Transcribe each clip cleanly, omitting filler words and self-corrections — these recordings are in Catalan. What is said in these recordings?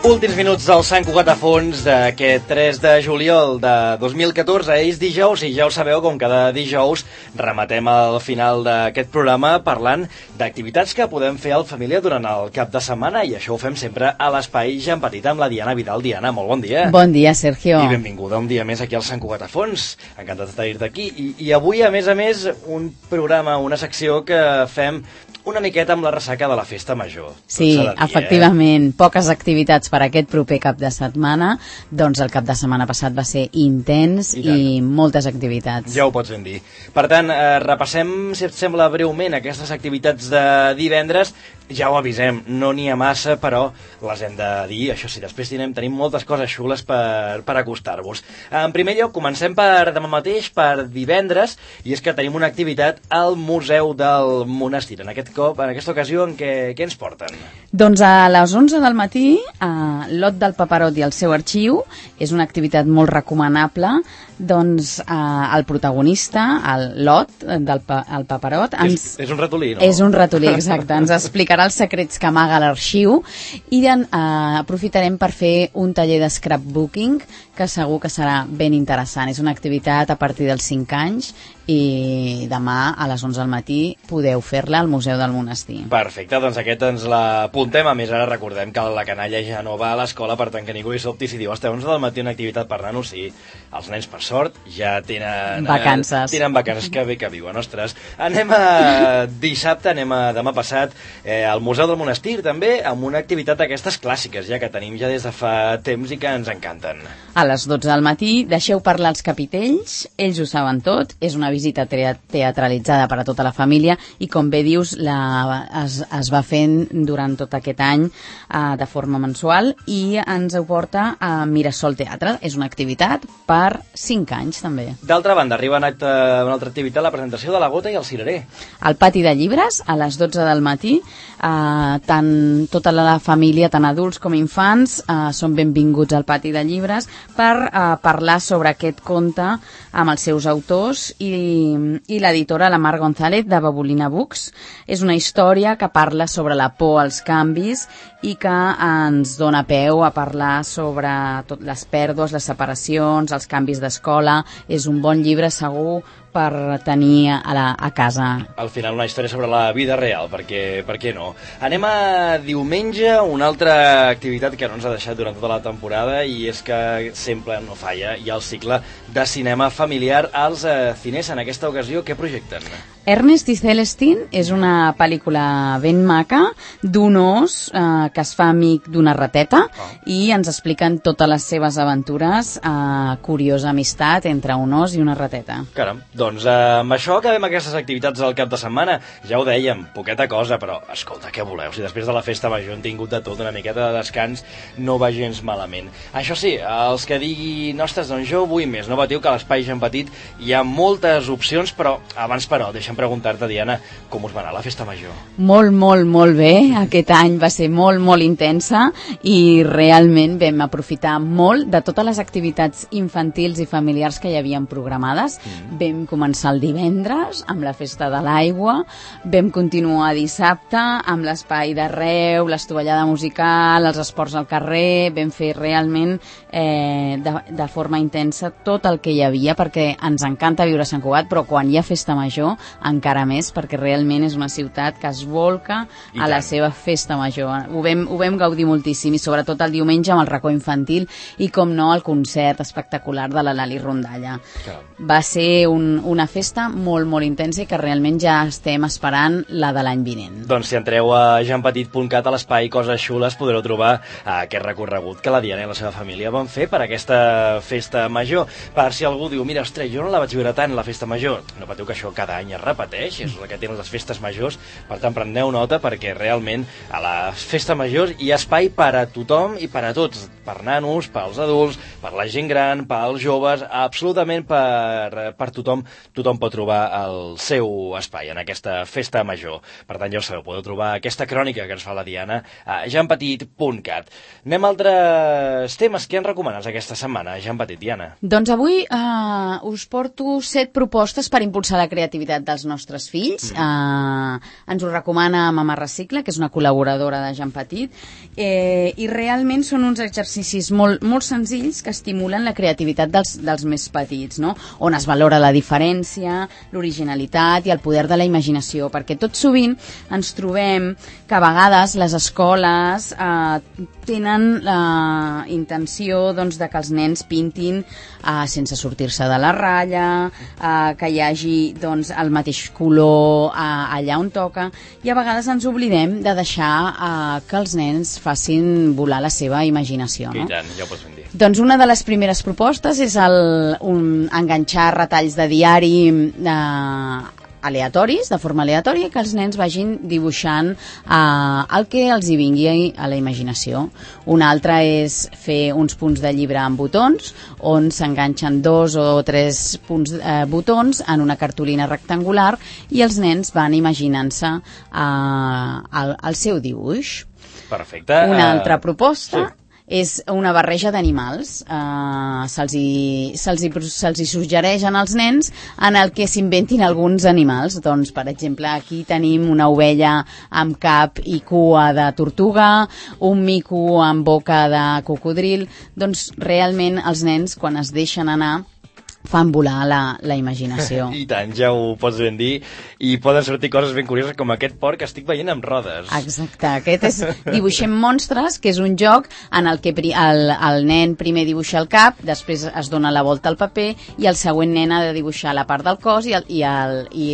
Últims minuts del Sant Cugat a Fons d'aquest 3 de juliol de 2014. És dijous i ja ho sabeu, com cada dijous rematem al final d'aquest programa parlant d'activitats que podem fer al família durant el cap de setmana, i això ho fem sempre a l'Espai Jean Petit amb la Diana Vidal. Diana, molt bon dia. Bon dia, Sergio. I benvinguda un dia més aquí al Sant Cugat a Fons. Encantat de tenir-te aquí. I avui, a més, un programa, una secció que fem una miqueta amb la ressaca de la festa major. Sí, efectivament, poques activitats per aquest proper cap de setmana. Doncs el cap de setmana passat va ser intens i moltes activitats. Ja ho pots ben dir. Per tant, repassem, si et sembla, breument aquestes activitats de divendres. Ja ho avisem, no n'hi ha massa, però les hem de dir. Això sí, després tenim moltes coses xules per acostar-vos. En primer lloc, comencem per demà mateix, per divendres, i és que tenim una activitat al Museu del Monestir. En aquesta ocasió, en què ens porten? Doncs a les 11 del matí, l'Ot del Paperot i el seu arxiu, és una activitat molt recomanable. Doncs el protagonista, l'Ot del Paperot... És un ratolí, no? És un ratolí, exacte. Ens explicarà els secrets que amaga l'arxiu i aprofitarem per fer un taller de scrapbooking que segur que serà ben interessant. És una activitat a partir dels 5 anys i demà a les 11 del matí podeu fer-la al Museu del Monestir. Perfecte, doncs aquest ens l'apuntem. A més, ara recordem que la canalla ja no va a l'escola, per tant que ningú hi sobti si diu hasta 11 del matí una activitat per nanos. Sí, els nens, per sort, ja tenen vacances. Tenen vacances, que bé que viuen. Ostres, anem a dissabte, anem a demà passat al Museu del Monestir, també, amb una activitat d'aquestes clàssiques, ja que tenim ja des de fa temps i que ens encanten. A les 12 del matí deixeu parlar els capitells, ells ho saben tot, és una visita teatralitzada per a tota la família i, com bé dius, es va fent durant tot aquest any de forma mensual i ens ho porta a Mirasol Teatre. És una activitat per 5 anys, també. D'altra banda, arriba una altra activitat, la presentació de la Gota i el Cirerer. Al pati de llibres, a les 12 del matí, tota la família, tant adults com infants, són benvinguts al pati de llibres per parlar sobre aquest conte amb els seus autors i l'editora, la Mar González, de Babulina Books. És una història que parla sobre la por als canvis i que ens dona peu a parlar sobre tot les pèrdues, les separacions, els canvis d'escola. És un bon llibre, segur, per tenir a casa. Al final una història sobre la vida real, per què no? Anem a diumenge, una altra activitat que no ens ha deixat durant tota la temporada, i és que sempre no falla, hi ha el cicle de cinema familiar als Cines. En aquesta ocasió, què projecten? Ernest i Celestine és una pel·lícula ben maca d'un os que es fa amic d'una rateta i ens expliquen totes les seves aventures, curiosa amistat entre un os i una rateta. Caram, doncs amb això acabem aquestes activitats del cap de setmana. Ja ho dèiem, poqueta cosa, però escolta, què voleu? Si després de la festa major hem tingut de tot, una miqueta de descans, no va gens malament. Això sí, els que diguin, ostres, doncs jo vull més, no patiu que a l'Espai Jean Petit hi ha moltes opcions, però abans, deixa'm preguntar-te, Diana, com us va anar la festa major? Molt, molt, molt bé. Aquest any va ser molt, molt intensa i realment vam aprofitar molt de totes les activitats infantils i familiars que hi havien programades. Vam començar el divendres amb la festa de l'aigua, vam continuar dissabte amb l'espai de reu, l'estovallada musical, els esports al carrer. Vam fer realment de forma intensa tot el que hi havia, perquè ens encanta viure a Sant Cugat, però quan hi ha festa major encara més, perquè realment és una ciutat que es volca a la seva festa major. Ho vam gaudir moltíssim, i sobretot el diumenge amb el racó infantil i, com no, el concert espectacular de la Lali Rondalla. Va ser una festa molt, molt intensa i que realment ja estem esperant la de l'any vinent. Doncs si entreu a jeanpetit.cat, a l'espai Coses Xules, podreu trobar aquest recorregut que la Diana i la seva família van fer per aquesta festa major. Per si algú diu, mira, ostres, jo no la vaig viure tant, la festa major. No patiu, que això cada any es repeteix, és el que tenen les festes majors. Per tant, preneu nota, perquè realment a la festa major hi ha espai per a tothom i per a tots, per nanos, pels adults, per la gent gran, pels joves, absolutament per tothom. Tothom pot trobar el seu espai en aquesta festa major. Per tant, ja ho sabeu, podeu trobar aquesta crònica que ens fa la Diana a jeanpetit.cat. Anem a altres temes. Què ens recomanes aquesta setmana, Jean Petit, Diana? Doncs avui us porto 7 propostes per impulsar la creativitat dels dels nostres fills. Ens ho recomana Mama Recicla, que és una col·laboradora de Jean Petit, i realment són uns exercicis molt, molt senzills que estimulen la creativitat dels més petits, no? On es valora la diferència, l'originalitat i el poder de la imaginació, perquè tot sovint ens trobem que a vegades les escoles tenen la intenció doncs, de que els nens pintin sense sortir-se de la ratlla, que hi hagi doncs, el mateix color allà on toca, i a vegades ens oblidem de deixar que els nens facin volar la seva imaginació. No? I tant, ja ho pots ben dir. Doncs una de les primeres propostes és enganxar retalls de diari aleatoris, de forma aleatòria, que els nens vagin dibuixant el que els hi vingui a la imaginació. Una altra és fer uns punts de llibre amb botons, on s'enganxen 2 o 3 botons en una cartolina rectangular i els nens van imaginant-se el seu dibuix. Perfecte. Una altra proposta... Sí. És una barreja d'animals. Se'ls hi suggereixen als nens en el que s'inventin alguns animals. Doncs, per exemple, aquí tenim una ovella amb cap i cua de tortuga, un mico amb boca de cocodril. Doncs realment els nens, quan es deixen anar, fan volar la imaginació. I tant, ja ho pots ben dir. I poden sortir coses ben curioses com aquest porc que estic veient amb rodes. Exacte, aquest és Dibuixem monstres, que és un joc en el que el nen primer dibuixa el cap, després es dona la volta al paper i el següent nen ha de dibuixar la part del cos i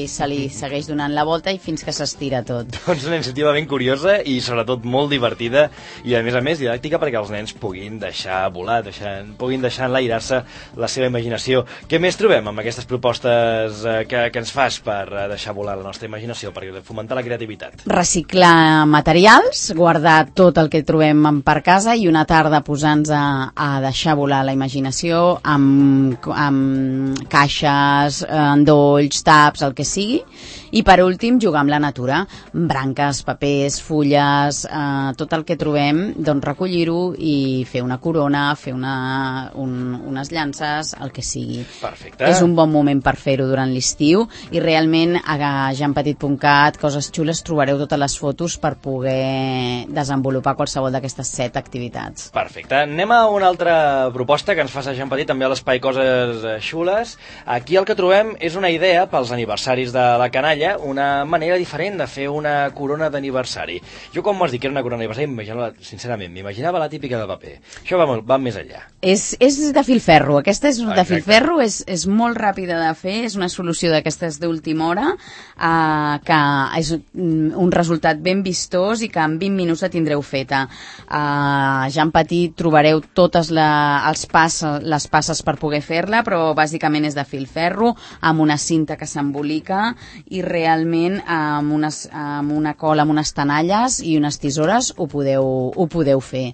se li segueix donant la volta i fins que s'estira tot. Doncs una iniciativa ben curiosa i sobretot molt divertida i a més didàctica perquè els nens puguin deixar volar, puguin deixar enlairar-se la seva imaginació. Què més trobem amb aquestes propostes que ens fas per deixar volar la nostra imaginació, per fomentar la creativitat? Reciclar materials, guardar tot el que trobem per casa i una tarda posar-nos a deixar volar la imaginació amb caixes, endolls, taps, el que sigui. I per últim, jugar amb la natura, branques, papers, fulles, tot el que trobem, doncs recollir-ho i fer una corona, fer unes llances, el que sigui. Perfecte. És un bon moment per fer-ho durant l'estiu i realment a jeanpetit.cat, coses xules, trobareu totes les fotos per poder desenvolupar qualsevol d'aquestes 7 activitats. Perfecte. Anem a una altra proposta que ens fas a Jean Petit, també a l'espai Coses Xules. Aquí el que trobem és una idea pels aniversaris de la canalla, una manera diferent de fer una corona d'aniversari. Jo quan m'has dit que era una corona d'aniversari, sincerament, m'imaginava la típica de paper. Això va més enllà. És de filferro. Aquesta és de filferro, és molt ràpida de fer, és una solució d'aquestes d'última hora, que és un resultat ben vistós i que en 20 minuts la tindreu feta. A Jean Petit trobareu totes les passes per poder fer-la, però bàsicament és de filferro, amb una cinta que s'embolica i realment amb una cola, amb unes tenalles i unes tisores ho podeu fer.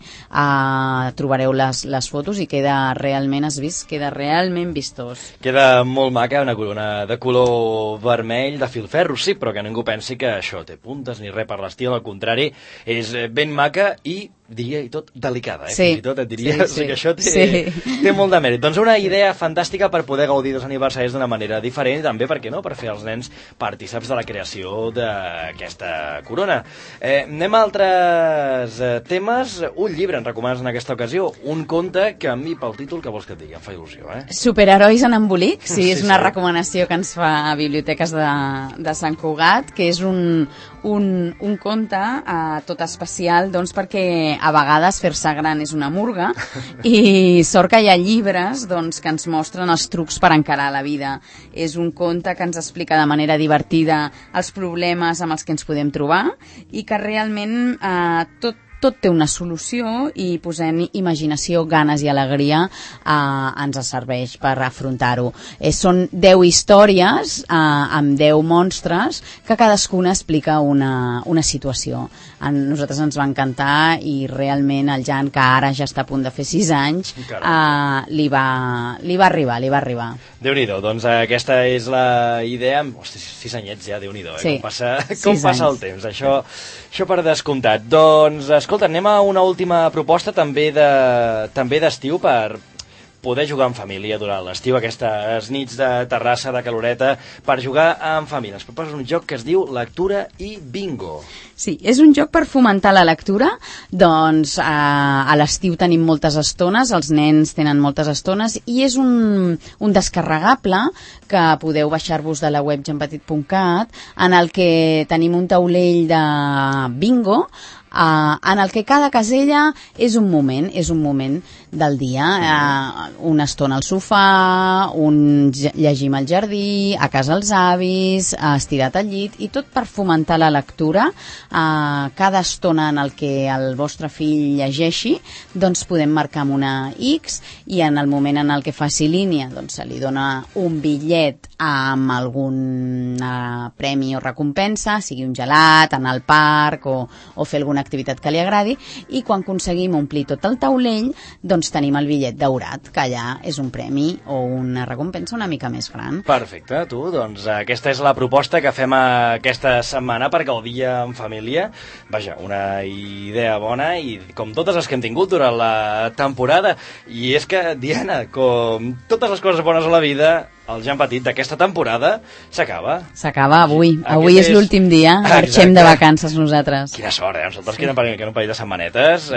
Trobareu les fotos i queda realment, has vist, queda realment vistós. Queda molt maca, una corona de color vermell, de filferro, sí, però que ningú pensi que això té puntes ni res per l'estil, al contrari, és ben maca i diria i tot delicada, Sí. Fins i tot et diria, sí. Que això té molt de mèrit. Doncs una idea fantàstica per poder gaudir dels aniversaris d'una manera diferent i també, per què no, per fer als nens partíceps de la creació d'aquesta corona. Anem a altres temes. Un llibre en recomanes en aquesta ocasió, un conte que a mi pel títol que vols que et digui, em fa il·lusió, Superherois en embolic, sí, és una sí. recomanació que ens fa a Biblioteques de Sant Cugat, que és un conte tot especial, doncs perquè a vegades fer-se gran és una murga i sort que hi ha llibres doncs, que ens mostren els trucs per encarar la vida. És un conte que ens explica de manera divertida els problemes amb els que ens podem trobar i que realment tot té una solució i posant imaginació, ganes i alegria ens serveix per afrontar-ho. Són 10 històries amb 10 monstres que cadascuna explica una situació. A nosaltres ens va encantar i realment el Jan, que ara ja està a punt de fer 6 anys, li va arribar. Déu-n'hi-do, doncs aquesta és la idea. Hosti, 6 anyets ja, Déu-n'hi-do, Sí, com passa el temps, això per descomptat. Doncs, escolta, anem a una última proposta també d'estiu per poder jugar en família durant l'estiu, aquestes nits de terrassa, de caloreta, per jugar en família. Ens proposes un joc que es diu Lectura i Bingo. Sí, és un joc per fomentar la lectura. Doncs a l'estiu tenim moltes estones, els nens tenen moltes estones, i és un descarregable que podeu baixar-vos de la web janpetit.cat, en el que tenim un taulell de bingo, en el que cada casella és un moment del dia, una estona al sofà, llegim al jardí, a casa els avis, estirat al llit, i tot per fomentar la lectura. Cada estona en el que el vostre fill llegeixi, doncs podem marcar amb una X, i en el moment en el que faci línia, doncs se li dona un bitllet amb algun premi o recompensa, sigui un gelat, anar al parc o fer alguna activitat que li agradi, i quan aconseguim omplir tot el taulell, doncs tenim el bitllet daurat, que allà és un premi o una recompensa una mica més gran. Perfecte, doncs aquesta és la proposta que fem aquesta setmana per gaudir en família. Vaja, una idea bona, i com totes les que hem tingut durant la temporada. I és que, Diana, com totes les coses bones a la vida, el Jan Petit d'aquesta temporada s'acaba. S'acaba avui. Avui és l'últim dia. Marxem de vacances nosaltres. Quina sort, Nosaltres sí. Queden un parell de setmanetes.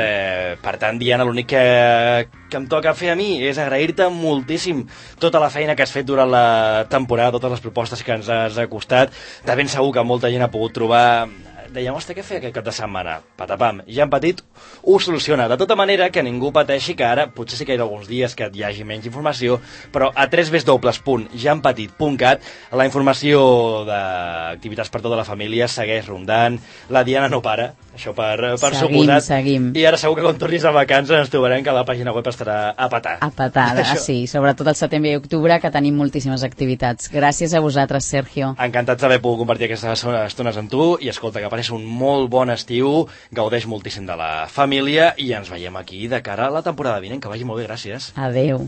Per tant, Diana, l'únic que em toca fer a mi és agrair-te moltíssim tota la feina que has fet durant la temporada, totes les propostes que ens has acostat. De ben segur que molta gent ha pogut trobar... Dèiem, què fer aquest cap de setmana? Patapam, Jan Petit ho soluciona. De tota manera, que ningú pateixi, que ara potser sí que hi ha alguns dies que hi hagi menys informació, però a www.janpetit.cat la informació d'activitats per tota la família segueix rondant. La Diana no para, això per suposat. Seguim. I ara segur que quan tornis de vacances ens trobarem que la pàgina web estarà a petar. A petar, sí, sobretot el setembre i octubre, que tenim moltíssimes activitats. Gràcies a vosaltres, Sergio. Encantats d'haver pogut compartir aquestes estones amb tu, i escolta, que és un molt bon estiu, gaudeix moltíssim de la família, i ens veiem aquí de cara a la temporada vinent. Que vagi molt bé, gràcies. Adeu.